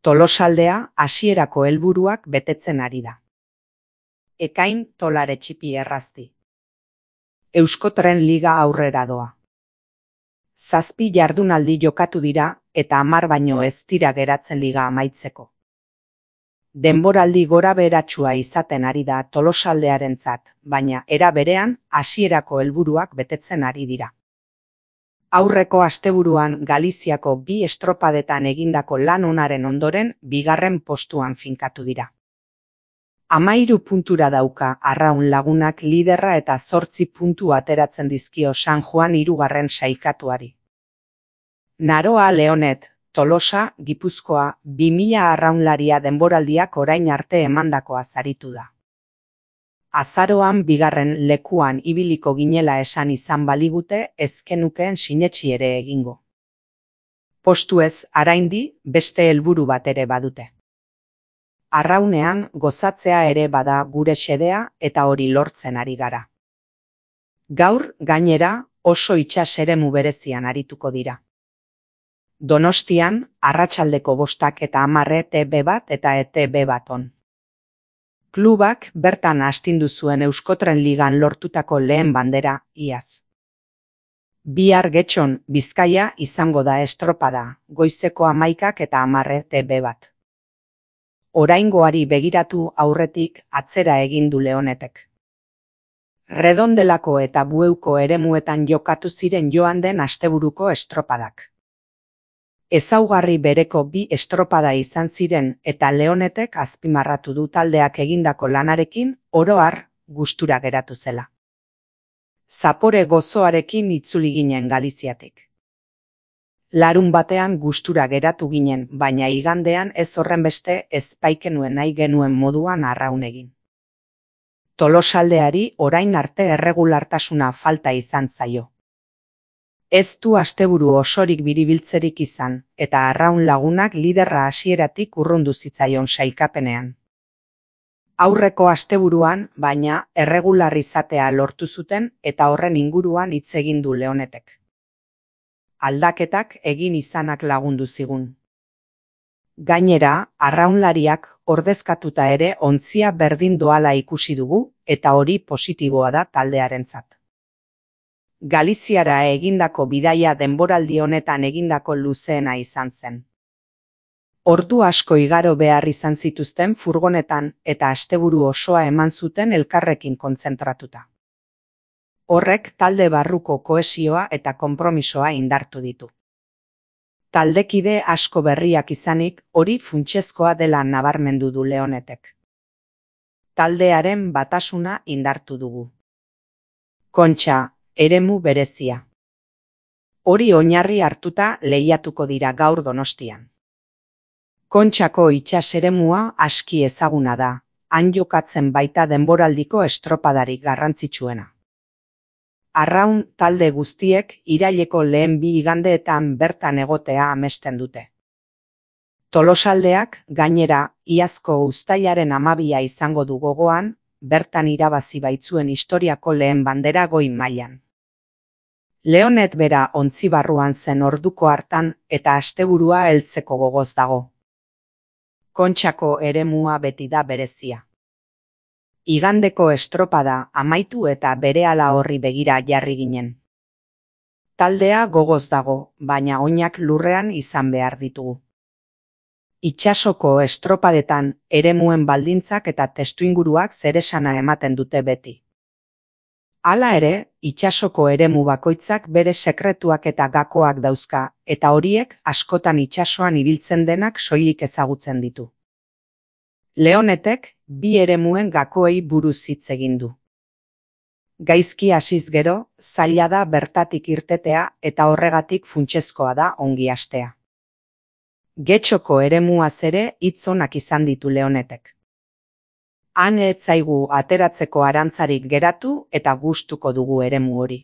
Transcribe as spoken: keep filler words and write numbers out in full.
Tolosaldea hasierako helburuak betetzen ari da. Ekain tolare txipi errazti. Euskotren Liga aurrera doa. Zazpi jardunaldi jokatu dira eta hamar baino ez dira geratzen liga amaitzeko. Denboraldi gora beheratsua izaten ari da Tolosaldearentzat, baina era berean hasierako helburuak betetzen ari dira. Aurreko asteburuan Galiziako bi estropadetan egindako lan onaren ondoren bigarren postuan finkatu dira. Hamahiru puntura dauka Arraun Lagunak liderra eta zortzi puntu ateratzen dizkio San Juan hirugarren sailkatuari. Naroa Leonet, Tolosa, Gipuzkoa, bi mila arraunlaria denboraldiak orain arte emandakoa zaritu da. Azaroan bigarren lekuan ibiliko ginela esan izan baligute ezkenukeen sinetsi ere egingo. Postuez araindi beste helburu bat ere badute. Arraunean gozatzea ere bada gure xedea eta hori lortzen ari gara. Gaur, gainera, oso itsas eremu berezian arituko dira. Donostian, arratsaldeko bostak eta hamar E T B bat eta E T B bat on. Klubak bertan astindu zuen Euskotren Ligan lortutako lehen bandera, iaz. Bihar Getxon, Bizkaia izango da estropada, goizeko hamaikak eta hamar E T B bat. Oraingoari begiratu aurretik atzera egin du Leonetek. Redondelako eta Bueuko eremuetan jokatu ziren joan den asteburuko estropadak. Ezaugarri bereko bi estropada izan ziren eta Leonetek azpimarratu du taldeak egindako lanarekin oro har gustura geratu zela. Zapore gozoarekin itzuli ginen Galiziatik. Larun batean gustura geratu ginen, baina igandean ez horrenbeste ez baikenuen nahi genuen moduan arraun egin. Tolosaldeari orain arte erregulartasuna falta izan zaio. Ez du asteburu osorik biribiltzerik izan, eta Arraun Lagunak liderra hasieratik urrundu zitzaion sailkapenean. Aurreko asteburuan, baina, erregular izatea lortu zuten eta horren inguruan hitz egin du Leonetek. Aldaketak egin izanak lagundu zigun. Gainera, arraunlariak ordezkatuta ere ontzia berdin doala ikusi dugu eta hori positiboa da taldearentzat. Galiziara egindako bidaia denboraldi honetan egindako luzeena izan zen. Ordu asko igaro behar izan zituzten furgonetan eta asteburu osoa eman zuten elkarrekin kontzentratuta. Horrek talde barruko kohesioa eta konpromisoa indartu ditu. Taldekide asko berriak izanik hori funtsezkoa dela nabarmendu du Leonetek. Taldearen batasuna indartu dugu. Kontxa, eremu berezia. Hori oinarri hartuta lehiatuko dira gaur Donostian. Kontxako itsas eremua aski ezaguna da, han jokatzen baita denboraldiko estropadarik garrantzitsuena. Arraun talde guztiek iraileko lehen bi igandeetan bertan egotea amesten dute. Tolosaldeak, gainera, iazko uztailaren hamabia izango du gogoan, bertan irabazi baitzuen historiako lehen bandera goi mailan. Leonet bera ontzibarruan zen orduko hartan eta asteburua heltzeko gogoz dago. Kontxako eremua beti da berezia. Igandeko estropada amaitu eta berehala horri begira jarri ginen. Taldea gogoz dago, baina oinak lurrean izan behar ditugu. Itsasoko estropadetan eremuen baldintzak eta testuinguruak zeresana ematen dute beti. Hala ere, itsasoko eremu bakoitzak bere sekretuak eta gakoak dauzka, eta horiek askotan itsasoan ibiltzen denak soilik ezagutzen ditu. Leonetek bi eremuen gakoei buruz hitz egin du. Gaizki hasiz gero, zaila da bertatik irtetea eta horregatik funtsezkoa da ongi hastea. Getxoko eremuaz ere hitz onak izan ditu Leonetek. Han ez zaigu ateratzeko arantzarik geratu eta gustuko dugu eremu hori.